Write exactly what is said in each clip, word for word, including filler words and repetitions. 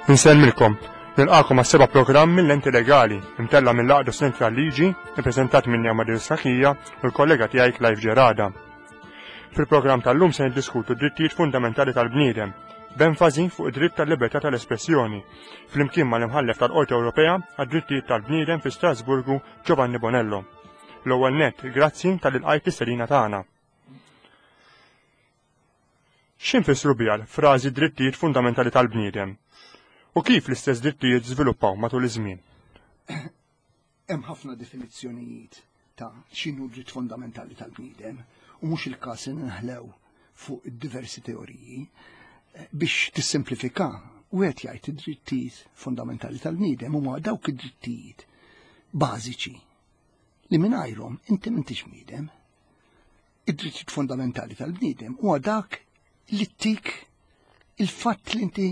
Insellmilkom, nilqakom għas-seba' programm mill-Lenti Legali, imtella' mill-Għaqda Studenti tal-Liġi, ippreżentat minni Amadeus Cachia u l-kollega tiegħi Clive Gerada. Fil-programm tal-lum se niddiskutu d-drittijiet fundamentali tal-bniedem, b'enfasi fuq id-dritt tal-libertà tal-espressjoni, flimkien mal-imħallef tal-Qorti Ewropea għad-drittijiet tal-bniedem fi Strasburgu Giovanni Bonello. L-ewwel nett, grazzi talli lqajt l-istedina tagħna. X'infissru biha l-frażi drittijiet fundamentali tal-bniedem? U kif l-istess drittijiet żviluppaw matul iż-żmien? Hemm ħafna definizzjonijiet ta' x'inhu dritt fondamentali tal-bniedem u mhux il-każ li nħlew fuq diversi teoriji. Biex tissimplifika, wieħed jgħid id-drittijiet fondamentali tal-bniedem huma dawk id-drittijiet bażiċi li mingħajrhom inti m'intix bniedem. Id-drittijiet fondamentali tal-bniedem huwa dak li ttik il-fatt li inti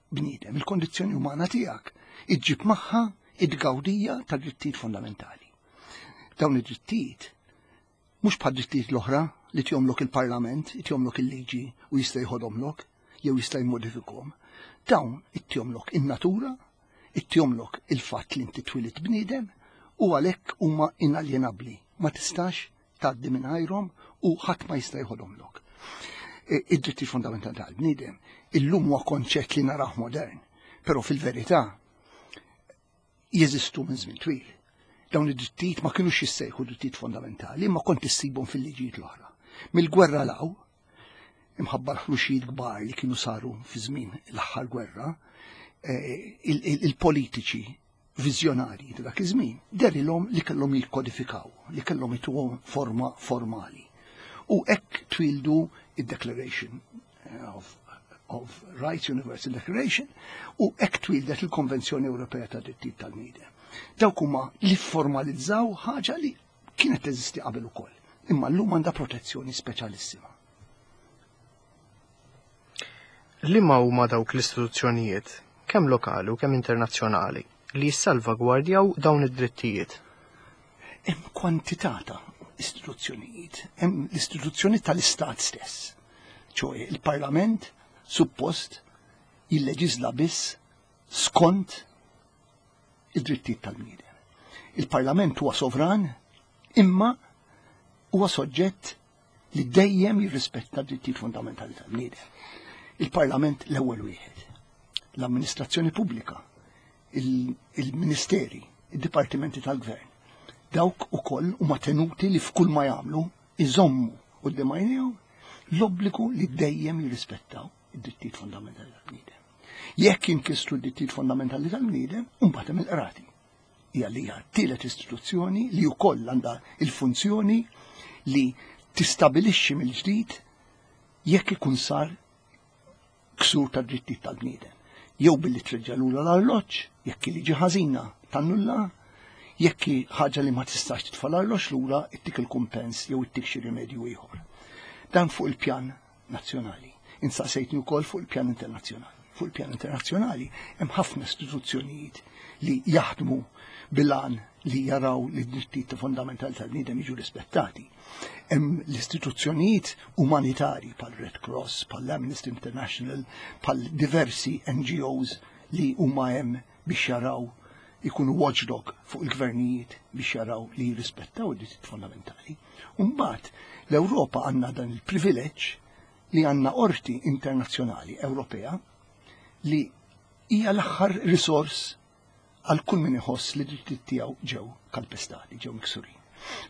bniedem, il-kondizzjoni umana tiegħek, iġġib magħha id-gawdija tad-drittijiet fondamentali. Dawn id-drittijiet mhux bħad drittijiet l-oħra li tihomlok il-Parlament, tihomlok il-liġi u jista' jħodomlok jew jista' jmodifikhom. Dawn ittihomlok in-natura, ittihomlok il-fatt li inti twilit bniedem u għalhekk huma inaljenabbli. Ma tistax tgħaddi mingħajrhom u ħadd ma jista' jħodomlok. Id-dritti fondamentali tal-bniedem illum huwa konċett li narah modern, però fil-verità jeżistu minn żmien twil. Dawn id-drittijiet ma kinux jissejħu drittijiet fondamentali, imma kont issibhom fil-liġijiet l-oħra. Mill-gwerra 'l hawn, imħabba l-ħruxijiet kbar li kienu saru fi żmien l-aħħar gwerra, il-politiċi viżjonarji ta' dak iż-żmien dehrilhom li kellhom jikkodifikaw, li kellhom ituhom forma formali. U hekk twildu id-Declaration of, of Rights, Universal Declaration, u hekk twildet il-Konvenzjoni Ewropea ta' Drittijiet tal-Bniedem. Dawk huma li formalizzaw ħaġa li kienet teżisti qabel ukoll, imma llum għandha protezzjoni speċjalissima. Liema huma dawk l-istituzzjonijiet, kemm lokali u kemm internazzjonali, li jissalvagwardjaw dawn id-drittijiet? Hemm kwantità ta' istituzzjonijiet, hemm l-istituzzjoni tal-Istat stess, ċoe il-Parlament suppost jilleġisla biss skont id-drittijiet tal-bniedem. Il-Parlament huwa sovran, imma huwa soġġett li dejjem jirrispetta d-drittijiet fundamentali tal-bniedem. Il-Parlament l-ewwel wieħed, l-amministrazzjoni pubblika, il-ministeri, id-dipartimenti tal-gvern, dawk ukoll huma tenuti li f'kull ma jagħmlu iżommu quddiem għajnejhom l-obbligu li dejjem jirrispettaw id-drittijiet fondamentali tal-bniedem. Jekk jinkisru d-drittijiet fondamentali tal-bniedem, imbagħad hemm il-qrati. Hija li hija t-tielet istituzzjoni li wkoll għandha il-funzjoni li tistabilixxi mill-ġdid jekk ikun sar ksur tad-drittijiet tal-bniedem. Jew billi treġġa' lura l-arloġġ, jekk liġi ħażina tannulla, jekk ħaġa li ma tistax titfa' l-arloġġ lura ittik il-kumpens jew ittik xi rimedju ieħor. Dan fuq il-pjan nazzjonali. Insaqsejtni wkoll fuq il-pjan internazzjonali. Fuq il-pjan internazzjonali hemm ħafna istituzzjonijiet li jaħdmu bil-għan li jaraw li d-drittijiet fondamentali tal-bniedem jiġu rispettati. Hemm l-istituzzjonijiet umanitari bħal Red Cross, bħal Amnesty International, bħal diversi N G Os li huma hemm biex jaraw ikunu watchdog fuq il-gvernijiet biex jaraw li jirrispettaw id-drittijiet fondamentali. Mbagħad l-Ewropa għandna dan il-privileġġ li għandna qorti internazzjonali Ewropea li hija l-aħħar risors għal kull min iħoss li d-drittijiet tiegħu ġew kalpestati, ġew miksurin.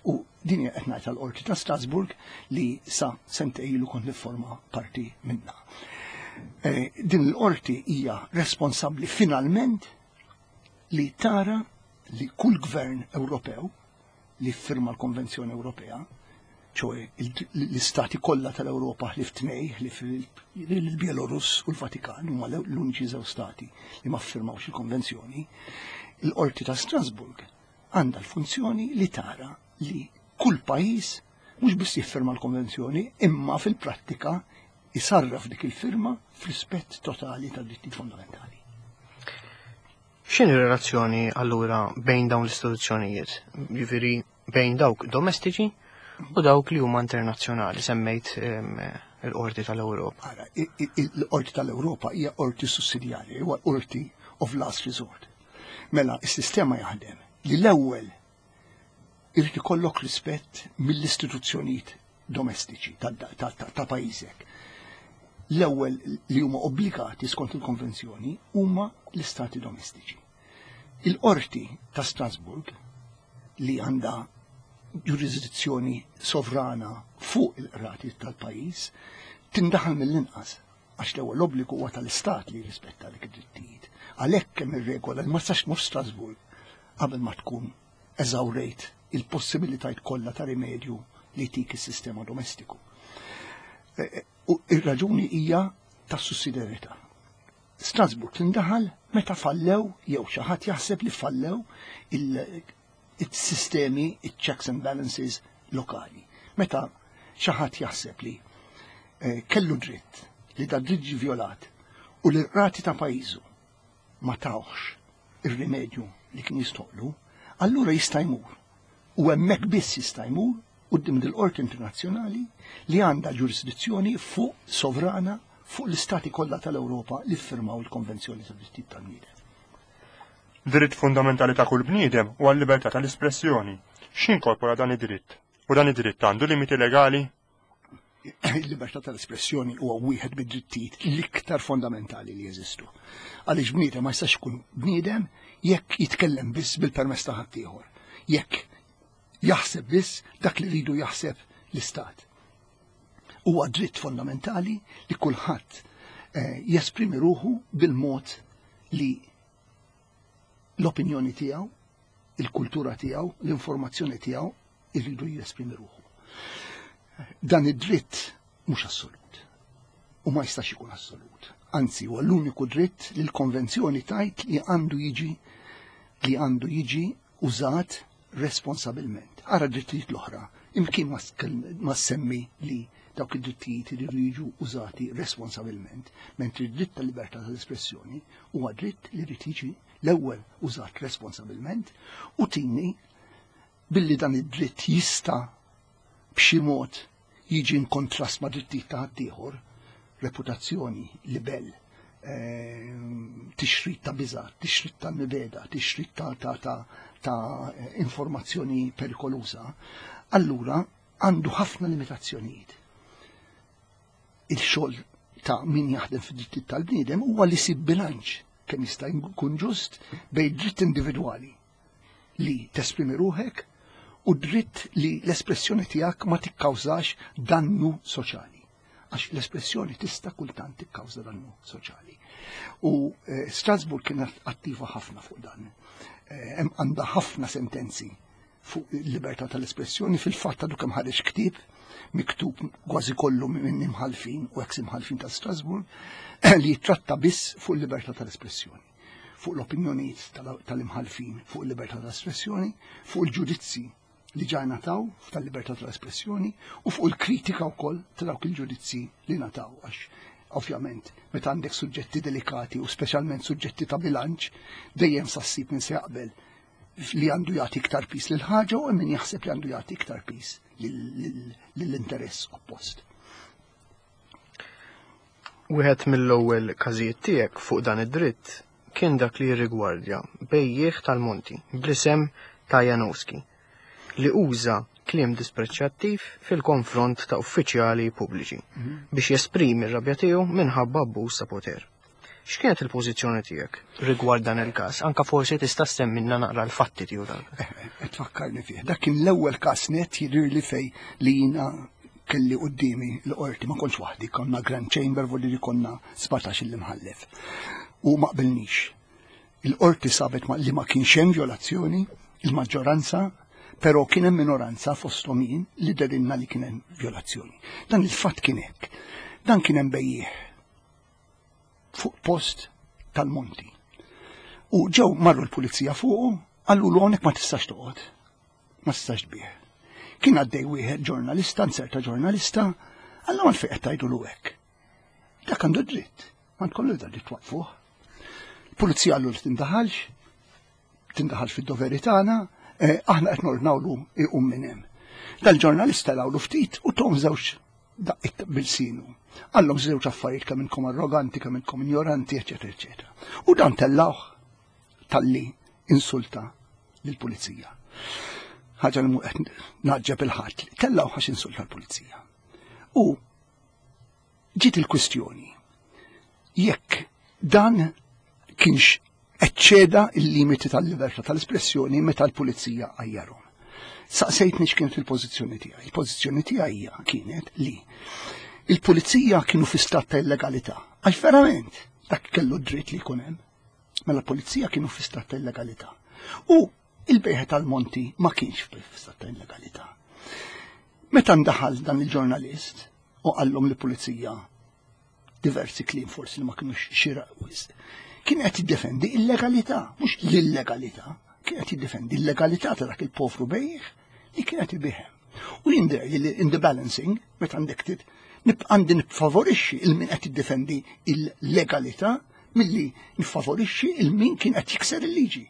U din hija qed ngħid għall-Qorti ta' Strasburg li sa sentejn ilu kont nifforma parti minnha. Eh, din il-qorti hija responsabbli finalment li tara li kull gvern Ewropew li firma l-Konvenzjoni Ewropea, ċoe l-istati kollha tal-Ewropa ħlief tnej, ħlief il-Bielorus u l-Vatikan, huma l-uniċi żewġ stati li ma ffirmawx il-konvenzjoni, il-Qorti ta' Strasburg għandha l-funzjoni li tara li kull pajjiż mhux biss jiffirma l-konvenzjoni, imma fil-prattika jisarraf dik il-firma f'rispett totali tad-drittijiet fondamentali. X'inhi r-relazzjoni allura bejn dawn l-istituzzjonijiet? Jiġifieri bejn dawk domestiċi u dawk li huma internazzjonali, semmejt, ehm, il-Qorti tal-Ewropa? Ara, il-Qorti tal-Ewropa hija qorti sussidjarja, huwa qorti of last resort. Mela, is-sistema jaħdem li l-ewwel irid ikollok rispett mill-istituzzjonijiet domestiċi ta' pajjiżek. L-ewwel li huma obbligati skont il-konvenzjoni huma l-istati domestiċi. Il-qorti ta' Strasburg, li għandha ġurisdizzjoni sovrana fuq il-qrati tal-pajjiż, tindaħal mill-inqas, għax l-ewwel obbligu huwa tal-istat li jirrispetta dik id-drittijiet. Għalhekk hemm ir-regola li ma tistax tmur Strasburg qabel ma tkun eżawrejt il-possibilitajiet kollha ta' rimedju li tik is-sistema domestiku. E, e, u ir-raġuni hija ta' sussidjarjetà. Strasburg tindaħal meta fallew jew xi ħadd jaħseb li fallew il-sistemi, il-checks and balances lokali. Meta xi ħadd jaħseb li eh, kellu dritt, li da dritt ġie vjolat u li r-rati ta' pajjiżu ma tawx ir-rimedju li kien jistħoqqlu, allura jista' jmur. U hemmhekk biss jista' jmur quddiem dil-Qorti Internazzjonali li għandha ġurisdizzjoni fuq sovrana fuq l-istati kollha tal-Ewropa li ffirmaw il-Konvenzjoni tad-Drittijiet tal-Bniedem. Dritt fundamentali ta' kull bniedem huwa l-libertà tal-espressjoni. X'inkorpora dan id-dritt? U dan id-dritt għandu limiti legali? Il-libertà tal-espressjoni huwa wieħed mid-drittijiet l-iktar fondamentali li jeżistu. Għaliex bniedem ma jistax ikun bniedem jekk jitkellem biss bil-permess ta' ħaddieħor. Jekk jaħseb biss dak li rridu jaħseb l-istat. Huwa dritt fondamentali li kulħadd eh, jesprimi ruħu bil-mod li l-opinjoni tiegħu, il-kultura tiegħu, l-informazzjoni tiegħu irridu jesprimi ruħu. Dan id-dritt mhux assolut u ma jistax ikun assolut. Anzi, huwa l-uniku dritt li l-konvenzjoni tajt li għandu jiġi li għandu jiġi użat responsabilment. Ara drittijiet l-oħra, imkien ma semmi li dawk id-drittijiet li jiġu użati responsabilment, mentri d-dritt tal-libertà tal-espressjoni huwa dritt li jrid jiġi l-ewwel użat responsabilment u tieni billi dan id-dritt jista' b'xi mod jiġi in kontrast ma' drittijiet ta' ħaddieħor, reputazzjoni, libel, ehm, tixrid ta' biża', tixrid ta' mibegħda, tixrid ta' ta' ta' ta' informazzjoni perikoluża, allura għandu ħafna limitazzjonijiet. Il-xogħol ta' min jaħdem fid-drittijiet tal-bniedem huwa li jsib bilanċ kemm jista' jkun ġust bejn dritt individwali li tesprimi ruħek u dritt li l-espressjoni tiegħek ma tikkawżax dannu soċjali. Għax l-espressjoni tista' kultant tikkawża dannu soċjali. U eh, Strasburg kienet attiva ħafna fuq dan. Eh, hemm għandha ħafna sentenzi fuq il-libertà tal-espressjoni. Fil-fatt għadu kemm ħareġ ktieb miktub kważi kollu minn imħalfin u ex imħalfin ta' Strasburg li jitratta biss fuq il-libertà tal-espressjoni, fuq l-opinjonijiet tal-imħalfin fuq il-libertà tal-espressjoni, fuq il-ġudizzi li ġa ngħataw tal-libertà tal-espressjoni u fuq il-kritika wkoll ta' dawk il-ġudizzi li ngħataw, għax ovvjament meta għandek suġġetti delikati u speċjalment suġġetti ta' bilanċ, dejjem sa ssib min se jaqbel li għandu jagħti iktar piż lil ħaġa u min jaħseb li għandu jagħti iktar piż lill-interess oppost. Wieħed mill-ewwel każijiet tiegħek fuq dan id-dritt kien dak li jirrigwardja bejjiegħ tal-Monti bl-isem ta' Janowski li uża kliem dispreċjattiv fil-konfront ta' uffiċjali pubbliċi mhm. biex jesprimi r-rabja tiegħu minħabba abbuż ta' poter. X'kienet il-pożizzjoni tiegħek rigward dan il-każ? Anka forsi tista' semmilna naqra l-fatti tiegħu dan. Eh, eh, tfakkarni fih. Dak kien l-ewwel każ net jidhirli li fej li jiena kelli quddiemi l-qorti, ma kontx waħdi, konna Grand Chamber, volli li konna sbatax il-imħallef. U ma qbilnix. Il-qorti sabet li ma kienx hemm violazzjoni, il-maġġoranza, però kien hemm minoranza fosthom jien li derinna li kien hemm violazzjoni. Dan il-fatt kien hekk. Dan kien hemm bejjiegħ fuq post tal-Monti. U ġew marru l-pulizija fuqu, qallu l hawnhekk ma tistax toqgħod, ma tistax tbigħ. Kien għaddej wieħed ġurnalista, nserta ġurnalista, qallu għalfejn qed tgħidulu hekk. Dak għandu dritt, ma tkollu da dritt waqfuh. Pulizija qallu li tindaħalx, tindaħalx fid-doveri tagħna, eh, aħna qed nordnawlu iqum minn hemm. Dal-ġurnalista lawlu ftit u tom żewġ Daqqiet b'ilsienu. Qallhom żewġ affarijiet, kemm inkom arroganti, kemm inkom ignoranti, eċetera, eċetera. U dan tellawh talli insulta lill-pulizija. Ħaġa li qed naġġeb il-ħadd. Tellawh għax insulta l-pulizija. U ġiet il-kwistjoni jekk dan kienx eċċeda il-limiti tal-libertà tal-espressjoni meta l-pulizija għajjarhom. Saqsejtni x'kienet il-pożizzjoni tiegħi. Il-pożizzjoni tiegħi hija kienet li il-pulizija kienu fi stat ta' illegalità. Għax verament dak kellu dritt li jkun hemm. Mela l-pulizija kienu fi stat ta' illegalità. U il-bejħ tal-Monti ma kienx fi stat ta' illegalità. Meta ndaħal dan il-ġurnalist u qallhom li pulizija diversi kliem forsi li ma kienux xieraq wisq, kien qed jiddefendi il-legalità, mhux l-illegalità, kien qed jiddefendi l-legalità ta' dak il-povru bejjiegħ li kien qed ibigħ. U jidher li in the balancing, meta għandek tit, għandi niffavorixxi il min qed jiddefendi il-legalità milli niffavorixxi il min kien qed jikser il-liġi.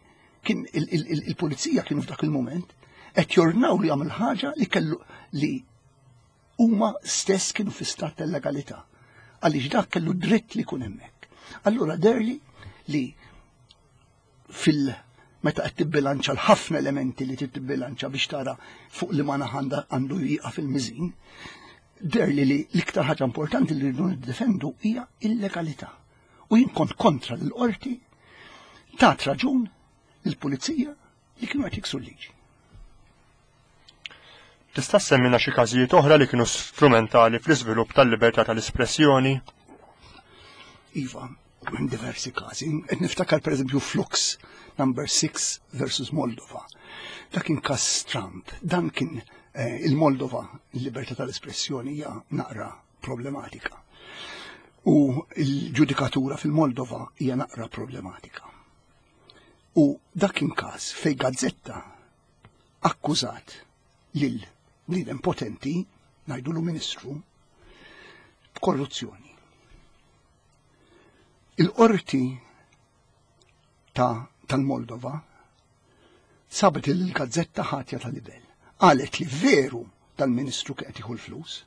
Kien il-pulizija kienu f'dak il-moment qed jordnaw li jagħmel ħaġa li kellu li huma stess kienu fi stat tal-legalità. Għaliex dak kellu dritt li jkun hemmhekk. Allura deherli li fil- meta qed tibbilanċa l-ħafna elementi li tibbilanċa biex tara fuq li ma għandu jieqaf il-miżin, deherli li l-iktar ħaġa importanti li rridu niddefendu hija il-legalità. U jien kont kontra l-qorti tat raġun il-pulizija li kienu qed jiksu l-liġi. Tista' semmina xi każijiet oħra li kienu strumentali fl-iżvilupp tal-libertà tal-espressjoni? Iva, hemm diversi każi. Qed niftakar, pereżempju, Flux number six versus Moldova. Dak kien każ Trump. Dan kien eh, il-Moldova, il-libertà tal-espressjoni hija naqra problematika. U il-ġudikatura fil-Moldova hija naqra problematika. U dak kien każ fej gazzetta akkużat lil bniedem potenti, ngħidulu ministru, b'korruzzjoni. Il-qorti ta' tal-Moldova sabet il-gazzetta ħatja tal-libel. Qalet li veru tal-ministru qed jieħu l-flus,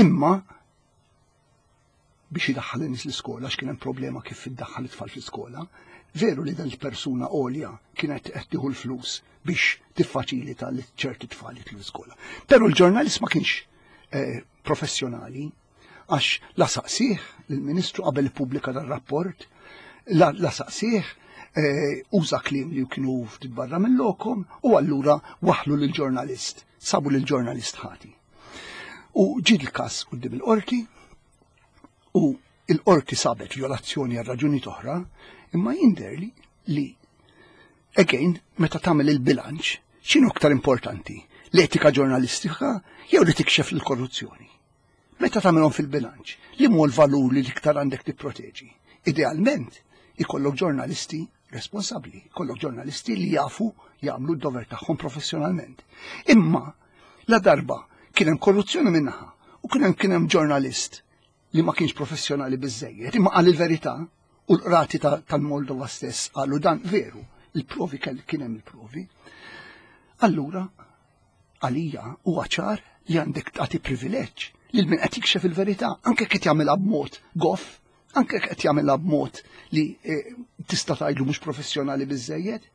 imma biex idaħħal in-nies l-iskola, x'kien hemm problema kif iddaħħal it-tfal fl-iskola, veru li dan il-persuna għolja kienet qed tieħu l-flus biex tiffaċilita li ċerti tfal jitlu l-iskola. Però l-ġurnalist ma kienx eh, professjonali, għax la saqsih l-ministru qabel ippubblika dar-rapport, la, la saqsih, eh, uża kliem li kienu ftit barra minn lokom u allura waħlu lill-ġurnalist, sabu lill-ġurnalist ħati. U ġie l-każ quddiem il-qorti u il-qorti sabet violazzjoni għal raġuni oħra, imma jidhirli li again, meta tagħmel il-bilanċ, x'inhu aktar importanti? L-etika ġurnalistika jew li tikxef l-korruzzjoni? Meta tagħmelhom fil-bilanċ, li mu l-valur li l-iktar għandek tipproteġi? Idealment, ikollok ġurnalisti responsabbli, ikollok ġurnalisti li jafu jagħmlu d-dover tagħhom professjonalment. Imma la darba kien hemm korruzzjoni minnaħa u kien hemm kien hemm ġurnalist li ma kienx professjonali biżejjed, imma qal il-verità u l-qrati tal-Moldova stess qalu dan veru, il-provi kien hemm il-provi. Allura, għalija huwa ċar li għandek tagħti privileġġ lil min qed jikxef il-verità, anke qed jagħmilha b'mod goff, anke qed jagħmilha b'mod li eh, tista' tgħidlu mhux professjonali biżejjed.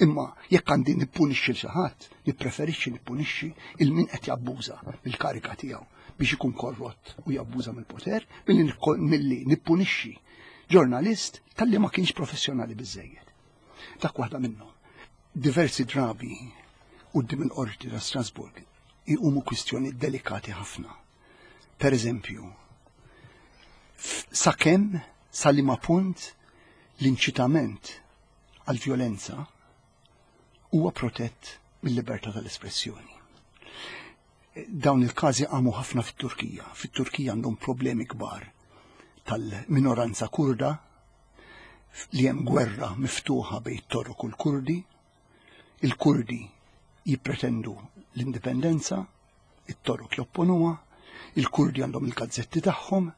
Imma jekk għandi nippunixxi l xi ħadd, nippreferixxi nippunixxi il min qed jabbuża mill-karika tiegħu biex ikun korrott u jabbuża mill-poter, milli nippunixxi ġurnalist talli ma kienx professjonali biżejjed. Dak waħda minnhom. Diversi drabi quddiem il-qorti ta' Strasburg iqumu kwistjoni delikati ħafna. Per eżempju, sakemm sa liema punt l-inċitament għal-vjolenza huwa protett mill-libertà tal-espressjoni. Dawn il-każi qamu ħafna fit-Turkija. Fit-Turkija għandhom problemi kbar tal-minoranza kurda, li hemm gwerra miftuħa bejn Torok u l-Kurdi. Il-Kurdi jippretendu l-indipendenza, it-Torok jopponuha, il-Kurdi għandhom il-gazzetti tagħhom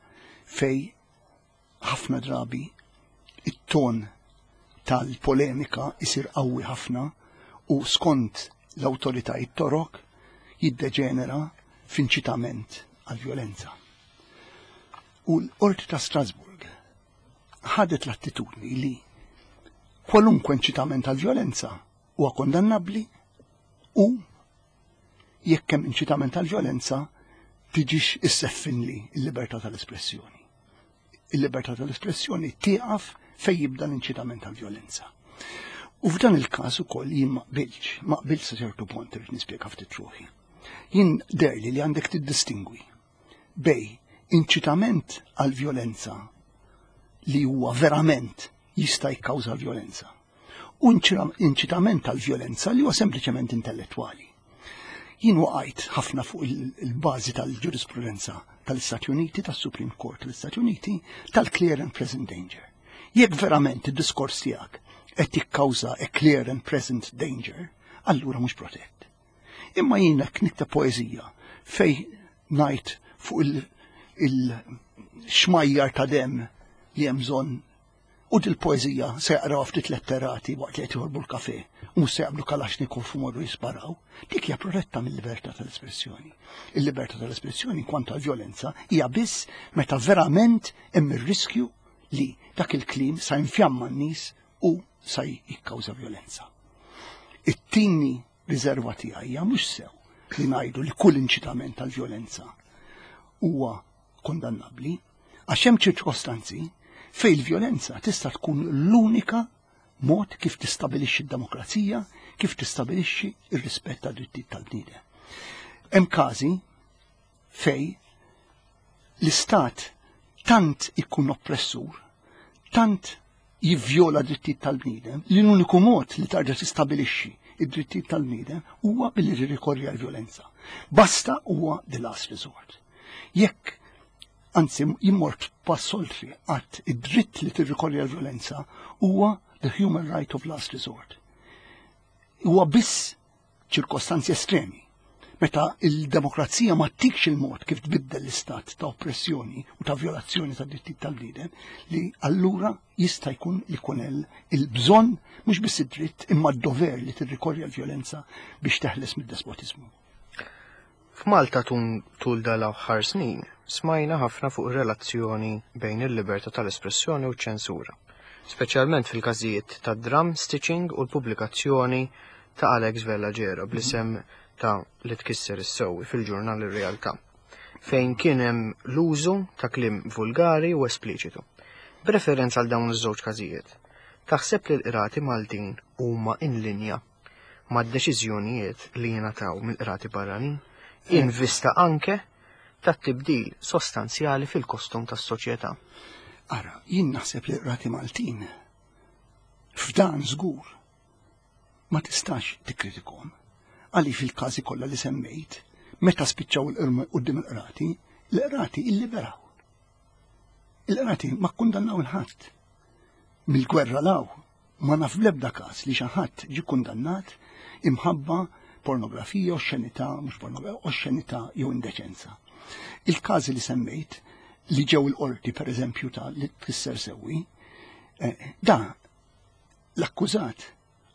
fej ħafna drabi it-ton tal-polemika isir qawwi ħafna u skont l-awtoritajiet Torok jiddeġenera f'inċitament għal-vjolenza. U l-Qorti ta' Strasburg ħadet l-attitudni li kwalunkwe inċitament għal-vjolenza huwa kondannabbli u jekk hemm inċitament għal-vjolenza tiġix isseffinli l-libertà tal-espressjoni. Il-libertà tal-espressjoni tieqaf fejn jibda l-inċitament għal-vjolenza. U f'dan il-każ ukoll jien ma qbilx, ma qbilx sa ċertu punt, irid nispjega ftit ruħi. Jien deherli li għandek tiddistingwi bejn inċitament għal-vjolenza li huwa verament jista' jikkawża l-vjolenza u inċitament għal-vjolenza li huwa sempliċement intellettwali. Jien waqajt ħafna fuq il-bażi tal-ġurisprudenza tal-Istati Uniti, tas-Supreme Court tal-Istati Uniti, tal-clear and present danger. Jekk verament id-diskors tiegħek qed jikkawża a clear and present danger, allura mhux protett. Imma jien jekk nikteb poeżija fejn ngħid fuq il-xmajjar ta' dem li hemm bżonn u dil-poeżija se jaqraw ftit letterati waqt li qed joħorbu l-kafe u mhux se jaqbdu Kalashnikov u morru jisparaw, dik hija protetta mill-libertà tal-espressjoni. Il-libertà tal-espressjoni kwantu għal-vjolenza hija biss meta verament hemm ir-riskju li dak il-kliem sa jinfjamma n-nies u sa jikkawża vjolenza. It-tieni riserva tiegħi hija mhux sew li ngħidu li kull inċitament tal-vjolenza huwa kondannabbli, għax hemm ċirkostanzi fejn il-vjolenza tista' tkun l-unika mod kif tistabilixxi d-demokrazija, kif tistabilixxi ir-rispett tad-drittijiet tal-bniedem. Hemm każi fejn l-istat tant ikun oppressur, tant jivvjola drittijiet tal-bniedem, li l-uniku mod li tarġa' tistabilixxi id-drittijiet tal-bniedem huwa billi tirrikorri għal vjolenza. Basta huwa the last resort. Jekk anzi jien mort pass oltre, għax id-dritt li tirrikorri għal vjolenza huwa the human right of last resort. Huwa biss ċirkostanzi estremi. Meta il-demokrazija ma ttikx il-mod kif tbiddel l-istat ta' oppressjoni u ta' violazzjoni ta' drittijiet tal-bniedem, li allura jista' jkun li jkun il-bżonn, mhux biss id-dritt imma d-dover, li tirrikorri għal-vjolenza biex teħles mid-despotiżmu. F'Malta tul dal-aħħar snin smajna ħafna fuq relazzjoni bejn il-libertà tal-espressjoni u ċ-ċensura, speċjalment fil-każijiet ta' drum stitching u l-pubblikazzjoni ta' Alex Vella Gera bl-isem ta' Li Tkisser Is-Sewwi fil-ġurnal Ir-Realtà, fejn kien hemm l-użu ta' kliem vulgari u espliċitu. B'referenza għal dawn iż-żewġ każijiet, taħseb li l-qrati Maltin huma in linja mad-deċiżjonijiet li jingħataw mill-qrati barranin, in vista anke tat-tibdil sostanzjali fil-kostum tas-soċjetà? Ara, jien naħseb li qrati Maltin f'dan żgur ma tistax tikkritikom. Għaliex fil-każi kollha li semmejt, meta spiċċaw il quddiem il-qrati, l-qrati illiberaw. Il-qrati ma kkundannaw 'il ħadd. Mill-gwerra 'l hawn, ma naf bl-ebda każ li xi ħadd ġi kundannat imħabba pornografija, oxxenità, mhux pornografija, oxxenità jew indeċenza. Il-każi li semmejt li ġew il-qorti, per eżempju ta' Li Tkisser Sewwi, eh, da l-akkużat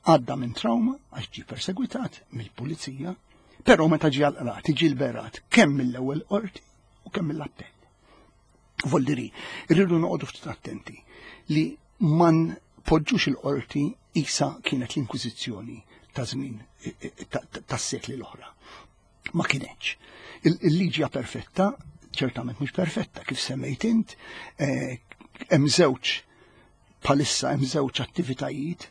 għadda minn trauma għax ġi persegwitat mill-pulizija, però meta ġi għal-qrati ġi liberat kemm mill-ewwel qorti u kemm mill-appell. Voldiri, irridu noqogħdu ftit attenti li ma npoġġux il-qorti isa kienet l-Inkwiżizzjoni ta' żmien tas-sekli l-oħra. Ma kienx. Il-liġi hija perfetta, ċertament mhux perfetta, kif semmejt int, eh, hemm żewġ palissa hemm żewġ attivitajiet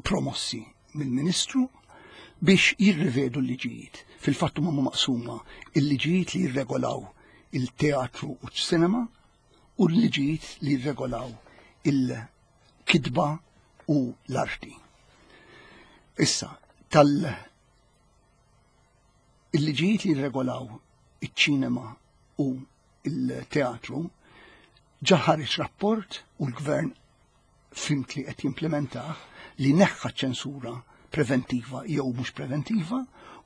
promossi mill-Ministru biex jirrivedu l-liġijiet. Fil-fatt huma maqsuma il-liġijiet li jirregolaw il-teatru u ċ-cinema u l-liġijiet li jirregolaw il-kitba u l-arti. Issa, tal il-liġijiet li jirregolaw iċ-ċinema u il-teatru ġa ħareġ rapport u l-gvern fhimt li qed jimplementah, li neħħa ċensura preventiva jew mhux preventiva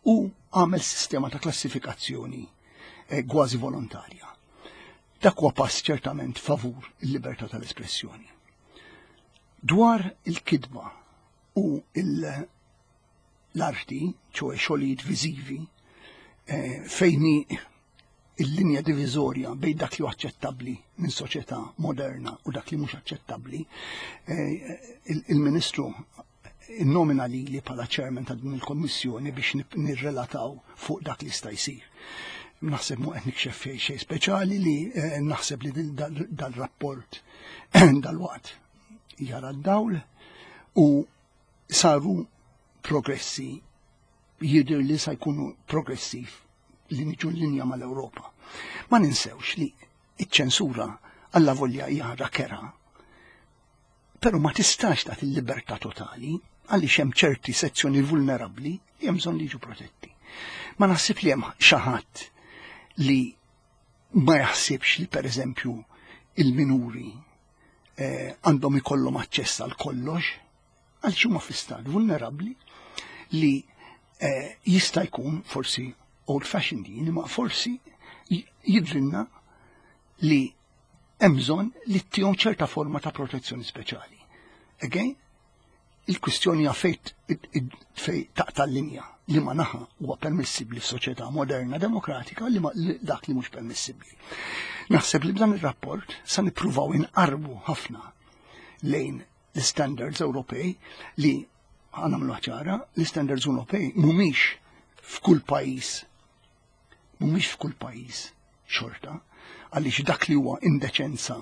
u għamel sistema ta' klassifikazzjoni eh, kważi volontarja. Dak huwa pass ċertament favur il-libertà tal-espressjoni. Dwar il-kitba u l-arti, ċoè xogħlijiet viżivi, eh, fejni il-linja diviżorja bejn dak li huwa aċċettabbli minn soċjetà moderna u dak li mhux aċċettabbli, eh, il-Ministru nomina li li bħala chairman ta' din il-kommissjoni biex nirrelataw fuq dak li sta jsir. Naħseb mu qed nikxef xejn speċjali li eh, naħseb li dal-rapport dal-waqt jara d-dawl u saru progressi, jidher li sa jkunu progressiv li niġu linja mal-Ewropa. Ma ninsewx li iċ-ċensura alla volja hija kerha. Però ma tistax tagħti il-libertà totali għaliex hemm ċerti sezzjoni vulnerabbli li hemm bżonn li jiġu protetti. Ma naħsib li hemm xi ħadd li ma jaħsibx li, pereżempju, il-minuri eh, għandhom ikollhom aċċess għal kollox, għal huma fi stat vulnerabbli li eh, jista' jkun forsi old fashioned din, imma forsi jidrinna li hemm bżonn li ttihom ċerta forma ta' protezzjoni speċjali. Again, il-kwistjoni fejt fej taqta' l-linja, li ma naħa huwa permissibbli f'soċjetà moderna demokratika, li ma dak li mhux permissibbli. Naħseb li b'dan ir-rapport sa nippruvaw inqarbu ħafna lejn l-standards Ewropej li għamlu ċara, l-standards Ewropej mhumiex f'kull pajjiż mhumiex f'kull pajjiż xorta, għaliex dak li huwa indeċenza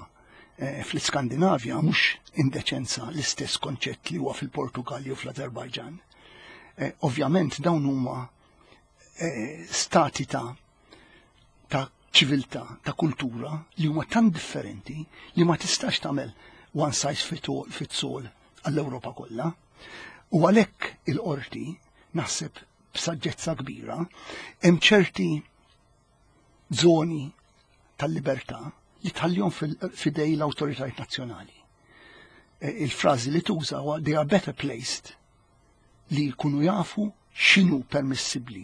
eh, fl-Skandinavja mhux indeċenza l-istess konċett li huwa fil-Portugal jew fl-Azerbajġan. Eh, ovvjament dawn huma eh, stati ta' ta' ċiviltà, ta' kultura li huma tant differenti li ma tistax tagħmel one size fits all għall-Ewropa kollha. U għalhekk il-qorti, naħseb b'saġġezza kbira, hemm ċerti zoni tal-libertà li tħallihom f'idejn l-awtoritajiet nazzjonali. E, il-frażi li tuża huwa "they are better placed" li jkunu jafu x'inhu permissibbli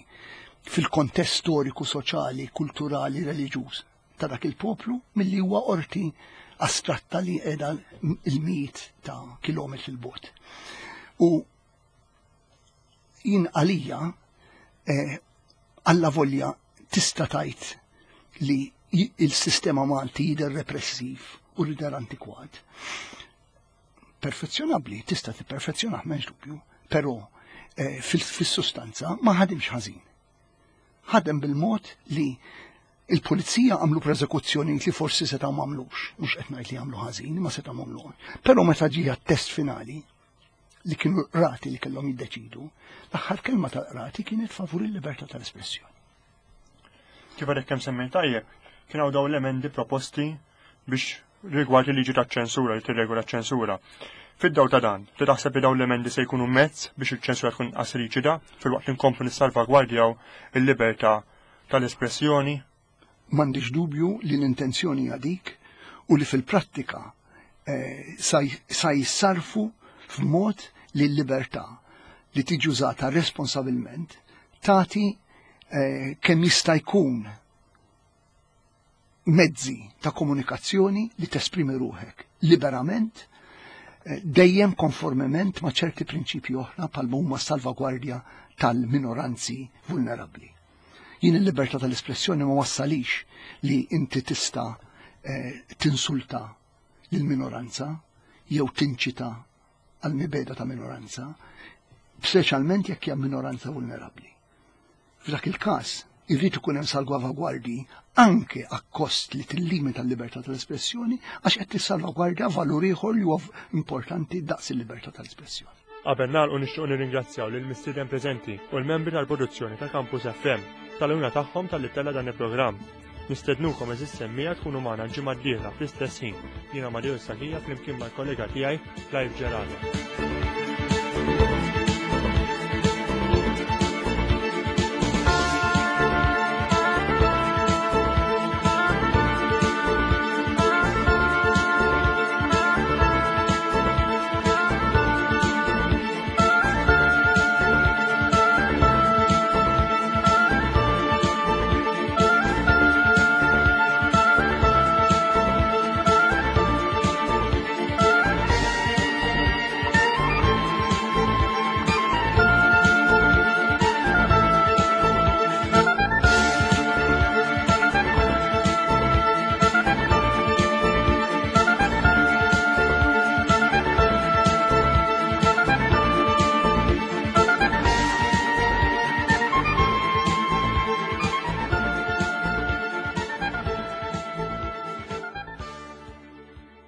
fil-kontest storiku, soċjali, kulturali, reliġjuż ta' dak il-poplu milli huwa qorti astratta li qiegħda il-mijiet ta' kilometri 'l bogħod. U jien għalija, eh, alla volja tista' tgħid li il-sistema Malti jidher repressiv u jidher antikwat. Perfezzjonabbli, tista' tipperfezzjonah, m'hemmx dubju, però eh, fil-sustanza ma ħadimx ħażin. Ħadem bil-mod li il-pulizija għamlu prosekuzzjoni li forsi setgħu m'għamlux, mhux qed ngħid li għamlu ħażin, ma setgħu m'għamlu. Però meta ġie test finali li kienu qrati li kellhom jiddeċidu, l-aħħar kelma tal-qrati kienet favur il-libertà tal-espressjoni. Kif għadek kemm semmejt tajjeb, kien hawn dawn l-emendi proposti biex rigward il-liġi taċ-ċensura li tirregola ċ-ċensura. Fid-daw ta' dan, li taħseb li dawn l-emendi se jkunu mezz biex il-ċensura tkun inqas riġida filwaqt li nkomplu nissalvagwardjaw il-libertà tal-espressjoni? M'għandix dubju li l-intenzjoni għadik u li fil-prattika eh, sa jissarfu f'mod li l-libertà li tiġi użata responsabilment tagħti eh, kemm jista' jkun mezzi ta' komunikazzjoni li tesprimi ruħek liberament, eh, dejjem konformement ma' ċerti prinċipji oħra bħal huma salvagwardja tal-minoranzi vulnerabbli. Jien il-libertà tal-espressjoni ma wassalix li inti tista' eh, tinsulta lil minoranza jew tinċita għal mibegħda ta' minoranza, speċjalment jekk hija minoranza vulnerabbli. F'dak il-każ irrid ikun hemm salvagwardji anke akkost li tillimita l-libertà tal-espressjoni, għax qed tissalvagwardja valur ieħor li huwa importanti daqs il-libertà tal-espressjoni. Qabel nagħlqu, nixtieq nirringrazzjaw lil mistieden preżenti u l-membri tal-produzzjoni ta' Campus F M tal-għajnuna tagħhom talli ttella' dan il-programm. Nistednukom, għeżież semmiegħa, tkunu magħna l-ġimgħa d-dieħla fl-istess ħin. Jiena Mario Sakija flimkien mal-kollega tiegħi Clive Gerada.